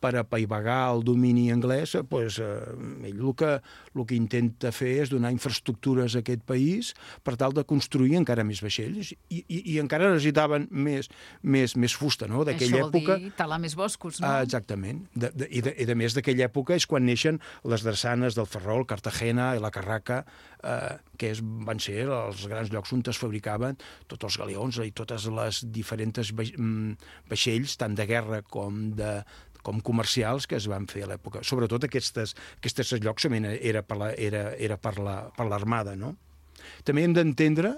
per apaivagar el domini anglès, doncs, eh, ell el que, el que intenta fer és donar infraestructures a aquest país per tal de construir encara més vaixells, i, i, i encara necessitaven més, més, més fusta, no? D'aquella època... Això vol dir talar més boscos, no? Ah, exactament. De, de, i, de, I de més d'aquella època és quan neixen les drassanes del Ferrol, Cartagena i la Carraca, eh, que és, van ser els grans llocs on es fabricaven tots els galeons i totes les diferents vaixells, tant de guerra com de com comercials que es van fer a l'època. Sobretot aquests, aquests llocs era per la, era, era per la, per l'Armada, no? També hem d'entendre,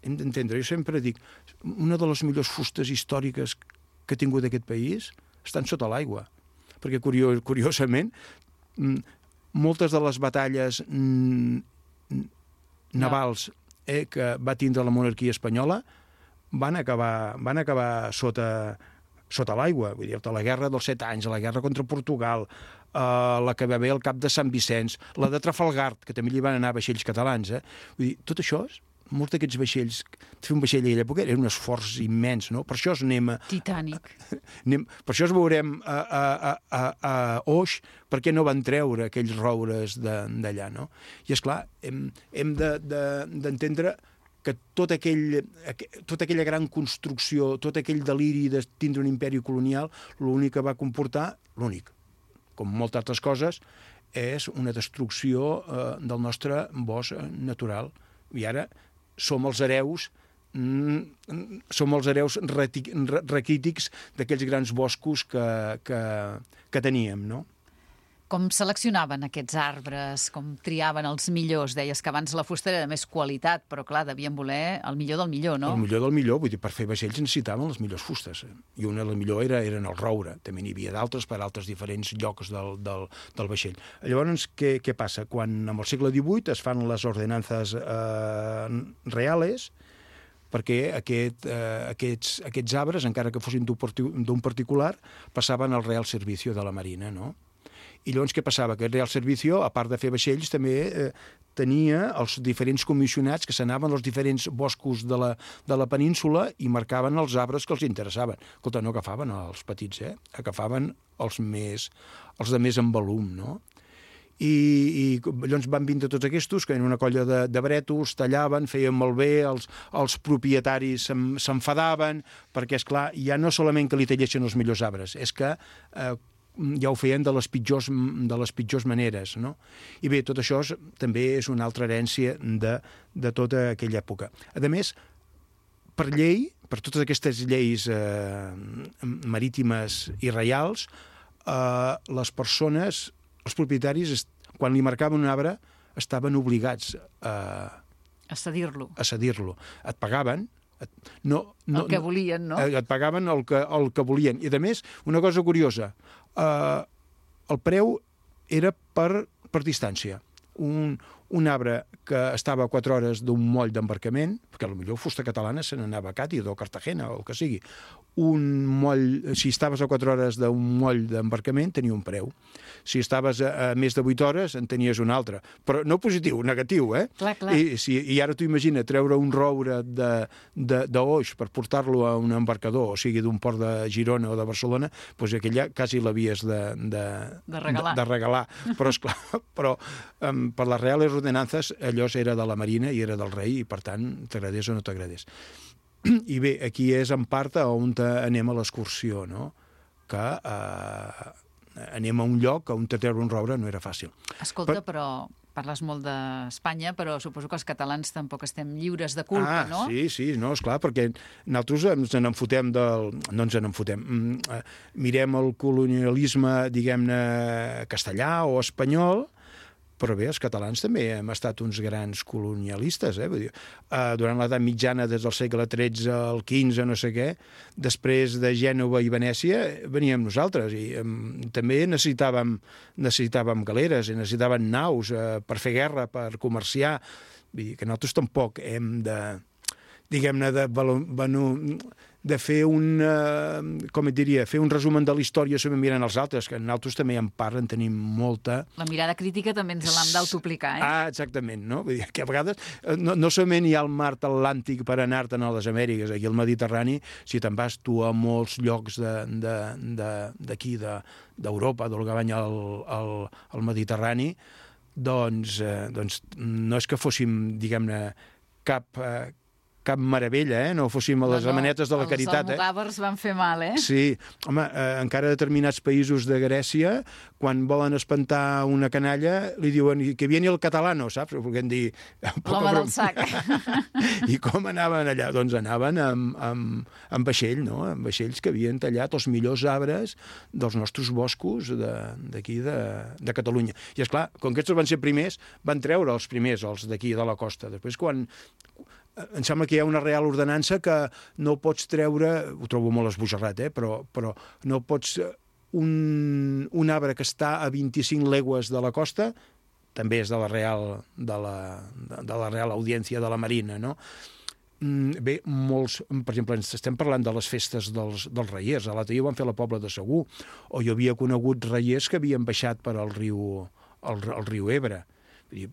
hem d'entendre, jo sempre dic, una de les millors fustes històriques que ha tingut aquest país estan sota l'aigua. Perquè, curiós, curiosament, moltes de les batalles navals eh, que va tindre la monarquia espanyola van acabar, van acabar sota... sota l'aigua, vull dir-te, la guerra dels set anys, la guerra contra Portugal, eh, la que va haver al cap de Sant Vicenç, la de Trafalgar, que també li van anar vaixells catalans, eh? Vull dir, tot això, molts d'aquests vaixells, fer un vaixell a aquella època era un esforç immens, no? Per això es anem a... Titànic. Anem, per això es veurem a, a, a, a, a Oix, perquè no van treure aquells roures d'allà, no? I, esclar, hem, hem d'entendre... De, de, que tot aquell, tota aquella gran construcció, tot aquell deliri de tindre un imperi colonial, l'únic que va comportar, l'únic, com moltes altres coses, és una destrucció eh, del nostre bosc natural. I ara som els hereus, mm, som els hereus raquítics d'aquells grans boscos que, que, que teníem, no? Com seleccionaven aquests arbres? Com triaven els millors? Deies que abans la fusta era de més qualitat, però clar, devien voler el millor del millor, no? El millor del millor, vull dir, per fer vaixells necessitaven les millors fustes. I una de les millors era, eren el roure. També n'hi havia d'altres per altres diferents llocs del, del, del vaixell. Llavors, què, què passa? Quan en el segle divuit es fan les ordenances eh, reales, perquè aquest, eh, aquests, aquests arbres, encara que fossin d'un particular, passaven al Real Servicio de la Marina, no? I llavors què passava? Que el Real Servicio, a part de fer vaixells, també eh, tenia els diferents comissionats que s'anaven als diferents boscos de la, de la península i marcaven els arbres que els interessaven. Escolta, no agafaven els petits, eh? Agafaven els, més, els de més en volum, no? I, i llavors van vindre tots aquests, que eren una colla de, de bretos, tallaven, feien malbé, els, els propietaris s'enfadaven, perquè, és clar, ja no solament que li tallessin els millors arbres, és que eh, ja ho feien de les pitjors, de les pitjors maneres, no? I bé, tot això és, també és una altra herència de, de tota aquella època. A més, per llei, per totes aquestes lleis eh, marítimes i reials, eh, les persones, els propietaris, quan li marcaven un arbre, estaven obligats a... A cedir-lo. A cedir-lo. Et pagaven... Et, no, no, el que volien, no? Et pagaven el que, el que volien. I, a més, una cosa curiosa, eh, el preu era per, per distància. Un, un arbre que estava a quatre hores d'un moll d'embarcament, perquè potser fusta catalana se n'anava a Càtida o Cartagena o el que sigui, un moll, si estaves a quatre hores d'un moll d'embarcament tenia un preu. Si estaves a, a més de vuit hores en tenies un altre. Però no positiu, negatiu, eh? Clar, clar. I, si, i ara t'ho imagina treure un roure d'Oix per portar-lo a un embarcador, o sigui, d'un port de Girona o de Barcelona, doncs aquella quasi l'havies de, de, de regalar. De, de regalar. Però, esclar, però um, per les reales ordenances allò era de la Marina i era del rei i, per tant, t'agradés o no t'agradés. I bé, aquí és en part on anem a l'excursió, no? Que eh, anem a un lloc on treure un roure no era fàcil. Escolta, però, però parles molt d'Espanya, però suposo que els catalans tampoc estem lliures de culpa, ah, no? Sí, sí, no, esclar, perquè nosaltres ens en enfotem del... No ens en enfotem. Mirem el colonialisme, diguem-ne, castellà o espanyol, però bé, els catalans també hem estat uns grans colonialistes, eh? Vull dir, uh, durant l'edat mitjana, des del segle tretze al quinze, no sé què, després de Gènova i Venècia, veníem nosaltres, i um, també necessitàvem, necessitàvem galeres, i necessitàvem naus uh, per fer guerra, per comerciar. Vull dir que nosaltres tampoc hem de, diguem-ne, de, bueno, de fer un, uh, com et diria, fer un resumen de la història sobre mirant els altres, que nosaltres també en part en tenim molta. La mirada crítica també ens l'hem d'autoplicar, eh? Ah, exactament, no? Vull dir que a vegades no, no solament hi ha el mar Atlàntic per anar-te'n a les Amèriques, aquí al Mediterrani, si te'n vas tu a molts llocs d'aquí, d'Europa, del que banya el, el Mediterrani, doncs, eh, doncs no és que fóssim, diguem-ne, cap... Eh, cap meravella, eh? No fóssim a les no, no, amanetes de la caritat. Els almogàvers eh? van fer mal, eh? Sí. Home, eh, encara determinats països de Grècia, quan volen espantar una canalla, li diuen que vieni el catalano, saps? Volguem dir... L'home del sac. I com anaven allà? Doncs anaven amb, amb, amb vaixell, no? Amb vaixells que havien tallat els millors arbres dels nostres boscos d'aquí de, de, de Catalunya. I, esclar, com que aquests van ser primers, van treure els primers, els d'aquí de la costa. Després, quan... Em sembla que hi ha una real ordenança que no pots treure, ho trobo molt esbojarrat, eh? però, però no pots... Un, un arbre que està a vint-i-cinc legües de la costa, també és de la Real, de la, de, de la Real Audiència de la Marina, no? Bé, molts, per exemple, ens estem parlant de les festes dels, dels reiers. L'altre dia ho van fer a la Pobla de Segur, o jo havia conegut reiers que havien baixat per al riu, el, el riu Ebre.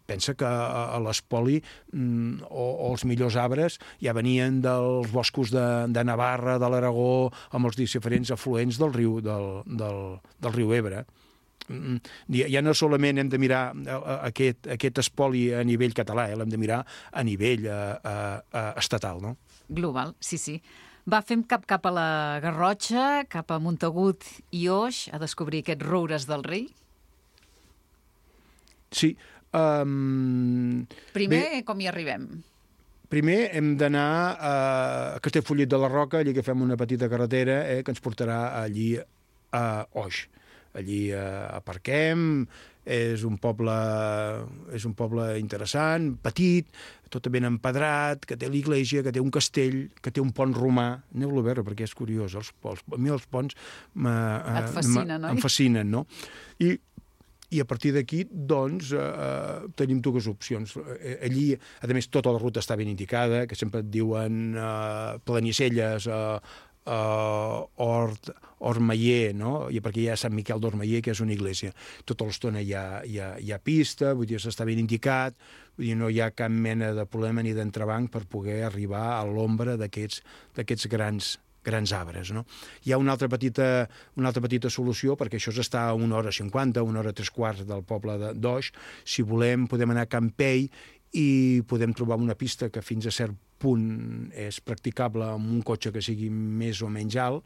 Pensa que a l'espoli mm, o, o els millors arbres ja venien dels boscos de, de Navarra, de l'Aragó, amb els diferents afluents del riu, del, del, del riu Ebre. Mm, ja no solament hem de mirar aquest, aquest espoli a nivell català, eh, l'hem de mirar a nivell a, a, a estatal, no? Global, sí, sí. Va, fem cap cap a la Garrotxa, cap a Montagut i Oix, a descobrir aquests roures del rei? Sí. Um, Primer, bé, com hi arribem? Primer hem d'anar a Castellfollit de la Roca, allí que fem una petita carretera eh, que ens portarà allí a Oix. allí eh, aparquem, és un poble, és un poble interessant, petit, tot ben empedrat, que té l'església, que té un castell, que té un pont romà. Aneu-lo a veure, perquè és curiós. Els, els, a mi els ponts et fascinen, oi? em fascinen, no? I, i a partir d'aquí, doncs, eh, tenim dues opcions. Allí, a més, tota la ruta està ben indicada, que sempre et diuen eh, Planicelles, eh, Uh, Hort, Hortmeller, no? I perquè hi ha Sant Miquel d'Hortmeller, que és una església. Tota l'estona hi ha, hi, ha, hi ha pista, vull dir, s'està ben indicat, vull dir, no hi ha cap mena de problema ni d'entrebanc per poder arribar a l'ombra d'aquests d'aquests grans grans arbres, no? Hi ha una altra petita, una altra petita solució, perquè això està a una hora cinquanta, una hora tres quarts del poble d'Oix. Si volem, podem anar a Campell i podem trobar una pista que fins a cert punt és practicable amb un cotxe que sigui més o menys alt,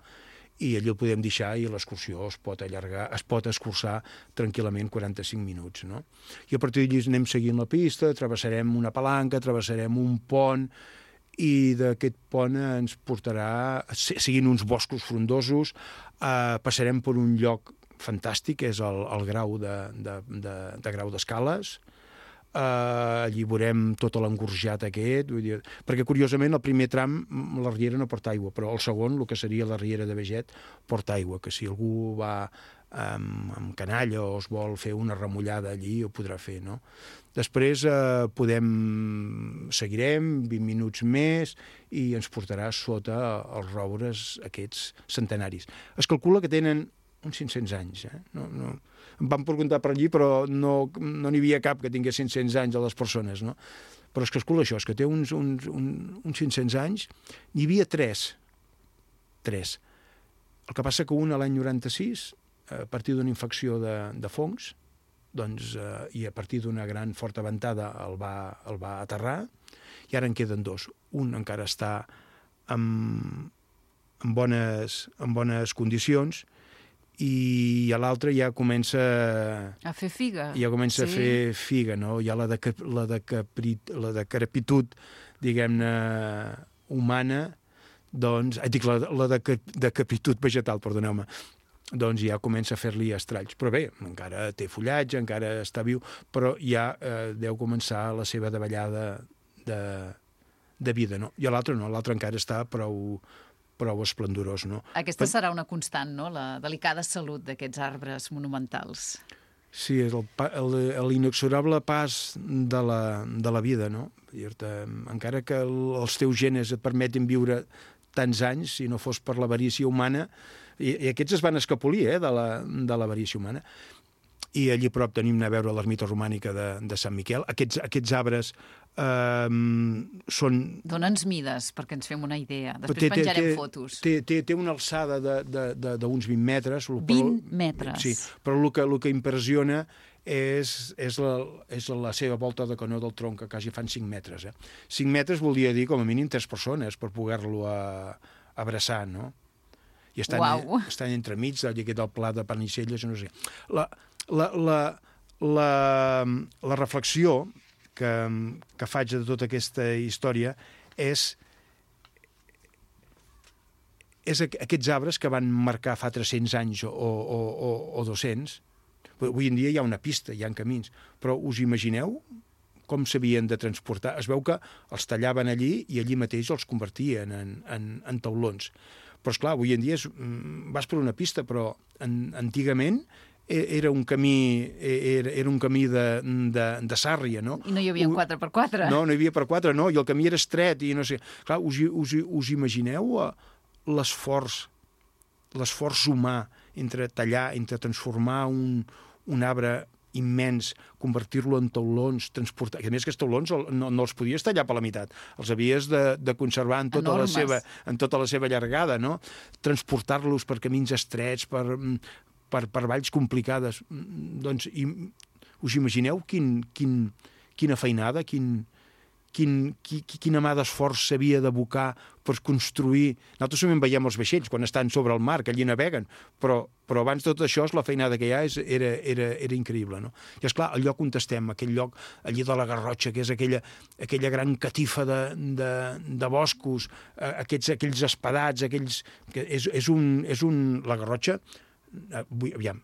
i allí el podem deixar i l'excursió es pot allargar, es pot escurçar tranquil·lament quaranta-cinc minuts, no? I a partir d'allí anem seguint la pista, travessarem una palanca, travessarem un pont, i d'aquest pont ens portarà, seguint uns boscos frondosos, eh, passarem per un lloc fantàstic, que és el, el grau de, de, de, de Grau d'Escales. Uh, allí veurem tot l'engorjat aquest, vull dir, perquè curiosament el primer tram la riera no porta aigua, però el segon, el que seria la riera de Beget, porta aigua, que si algú va amb, amb canalla o es vol fer una remullada allí ho podrà fer, no? Després uh, podem, seguirem vint minuts més i ens portarà sota els roures aquests centenaris. Es calcula que tenen uns cinc-cents anys, eh? No, no. Em van preguntar per allí, però no no n'hi havia cap que tingués cinc-cents anys a les persones, no? Però es calcula això, és que té uns, uns, uns, uns cinc-cents anys. N'hi havia tres. Tres. El que passa que un a l'any noranta-sis, a partir d'una infecció de, de fongs, doncs, eh, i a partir d'una gran forta ventada el va, el va aterrar, i ara en queden dos. Un encara està en, en, bones, en bones condicions, i l'altre ja comença a fer figa, ja comença sí. a fer figa, no? Ja la, de, la, de caprit, la de crepitud, diguem-ne, humana, doncs, eh, dic, la, la de, de capitud vegetal, perdoneu-me, doncs ja comença a fer-li estralls. Però bé, encara té fullatge, encara està viu, però ja eh, deu començar la seva davallada de, de vida, no? I l'altre no, l'altre encara està prou prou esplendorós, no? Aquesta serà una constant, no?, la delicada salut d'aquests arbres monumentals. Sí, és l'inexorable pas de la, de la vida, no? Encara que els teus genes et permetin viure tants anys, si no fos per l'avarícia humana, i, i aquests es van escapolir, eh, de l'avarícia humana, i allí a prop tenim a veure l'ermita romànica de, de Sant Miquel. Aquests, aquests arbres eh, són... Dóna'ns mides, perquè ens fem una idea. Després té, penjarem té, fotos. Té, té, té una alçada d'uns vint metres. vint metres. Sí, però el que, el que impressiona és, és, la, és la seva volta de canó del tronc, que quasi fan cinc metres. Eh? cinc metres volia dir com a mínim tres persones per poder-lo abraçar, no? I estan, Uau. estan entremig del pla de Planicelles, no sé. La, la, la, la, la reflexió que, que faig de tota aquesta història és, és aquests arbres que van marcar fa tres-cents anys o, o, o, o dos-cents. Avui en dia hi ha una pista, hi ha camins, però us imagineu com s'havien de transportar? Es veu que els tallaven allí i allí mateix els convertien en, en, en taulons. Però, esclar, avui en dia és, vas per una pista, però en, antigament era un camí, era, era un camí de, de, de sàrria, no? I no hi havia quatre per quatre. No, no hi havia per quatre, no, i el camí era estret, i no sé... Clar, us, us, us imagineu l'esforç, l'esforç humà entre tallar, entre transformar un, un arbre immens, convertir-lo en taulons, transportar... A més, aquests taulons no, no els podies tallar per la meitat, els havies de, de conservar en tota, la seva, en tota la seva llargada, no? Transportar-los per camins estrets, per, per, per valls complicades. Doncs, i, us imagineu quin, quin, quina feinada, quin, quin, quin, quina mà d'esforç s'havia d'abocar per construir... Nosaltres també veiem els vaixells quan estan sobre el mar, que allí naveguen, però, però abans de tot això la feinada que hi ha és, era, era, era increïble, no? I esclar, el lloc on estem, aquell lloc allí de la Garrotxa, que és aquella, aquella gran catifa de, de, de boscos, eh, aquests, aquells espadats, aquells... Que és, és, un, és un... La Garrotxa, eh, aviam,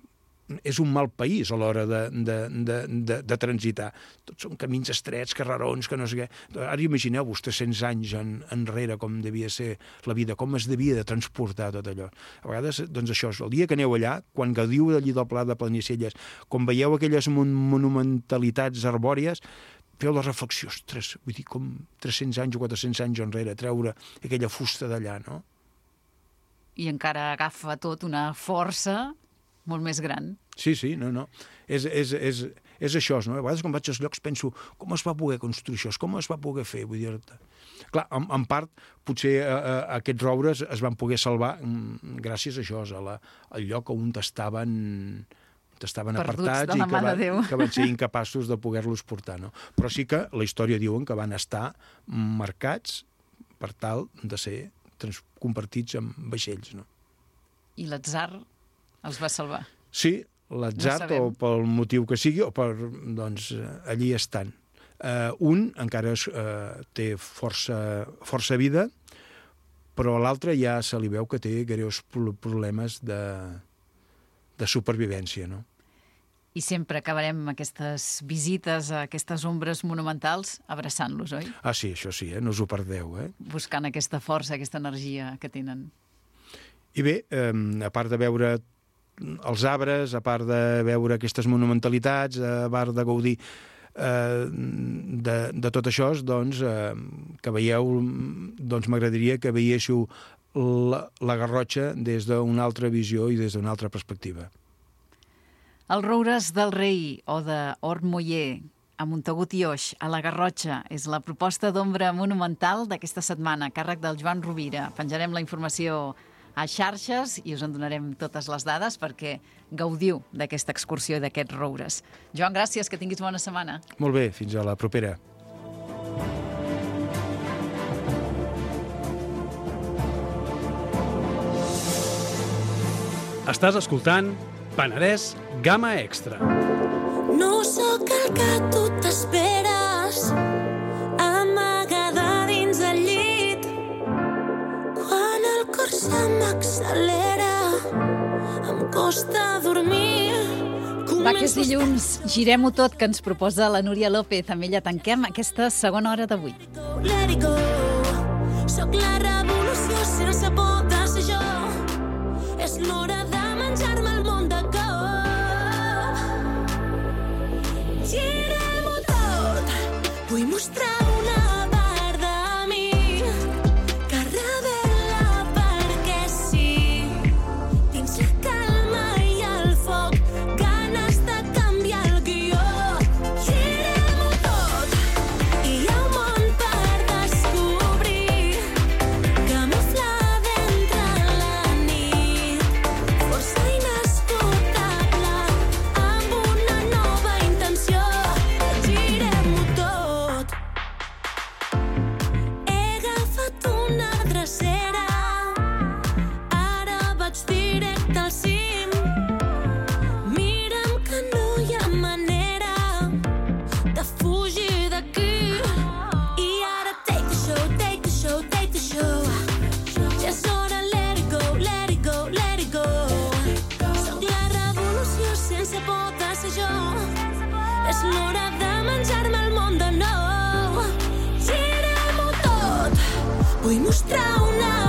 és un mal país a l'hora de, de, de, de, de transitar. Tots són camins estrets, carrerons, que no sé què. Ara imagineu-vos tres-cents anys en, enrere com devia ser la vida, com es devia de transportar tot allò. A vegades, doncs això, el dia que aneu allà, quan gaudiu d'allí del Pla de Planicelles, quan veieu aquelles mon monumentalitats arbòries, feu la reflexió, ostres, vull dir, com tres-cents anys o quatre-cents anys enrere, treure aquella fusta d'allà, no? I encara agafa tot una força molt més gran. Sí, sí, no, no. És, és, és, és això, no? A vegades quan vaig als llocs penso com es va poder construir això, com es va poder fer, vull dir... Clar, en, en part, potser eh, aquests roures es van poder salvar mm, gràcies a això, a la, al lloc on estaven, estaven apartats i que, va, que van ser incapaços de poder-los portar, no? Però sí que la història diuen que van estar marcats per tal de ser compartits en vaixells, no? I l'atzar els va salvar. Sí, l'atzar, no o pel motiu que sigui, o per, doncs, allí estan. Uh, un encara es, uh, té força, força vida, però l'altre ja se li veu que té greus problemes de, de supervivència, no? I sempre acabarem aquestes visites a aquestes ombres monumentals abraçant-los, oi? Ah, sí, això sí, eh? No us ho perdeu, eh? Buscant aquesta força, aquesta energia que tenen. I bé, eh, a part de veure els arbres, a part de veure aquestes monumentalitats, a part de gaudir eh, de, de tot això, doncs, eh, que veieu, doncs m'agradaria que veiéssiu la, la Garrotxa des d'una altra visió i des d'una altra perspectiva. Els roures del Rei o de Hort Muller a Montagut i Oix, a la Garrotxa, és la proposta d'ombra monumental d'aquesta setmana, a càrrec del Joan Rovira. Penjarem la informació a xarxes i us en donarem totes les dades perquè gaudiu d'aquesta excursió i d'aquests roures. Joan, gràcies, que tinguis bona setmana. Molt bé, fins a la propera. Estàs escoltant Penedès Gamma Extra. No sóc el que tu t'esperes, amagada dins el llit. Quan el cor se m'accelera, em costa dormir. Va, que és dilluns. Girem-ho tot, que ens proposa la Núria López. Amb ella tanquem aquesta segona hora d'avui. Let it go. Sóc la revolució sense por de ser jo. És l'hora de menjar-me el món de cop. Girem-ho tot. Vull mostrar una part de mi que revela perquè sí. Dins la calma i el foc, ganes de canviar el guió. Girem-ho tot i hi ha un món per descobrir, camuflat entre la nit, força inesgotable amb una nova intenció. Girem-ho tot. He agafat una drecera, ara vaig directe al cim. Mira'm que no hi ha manera de fugir d'aquí. I ara take the show, take the show, take the show. Ja és hora, let it go, let it go, let it go. Sóc la revolució sense por de ser jo. És l'hora de menjar-me el món de nou. Girem-ho tot. Vull mostrar una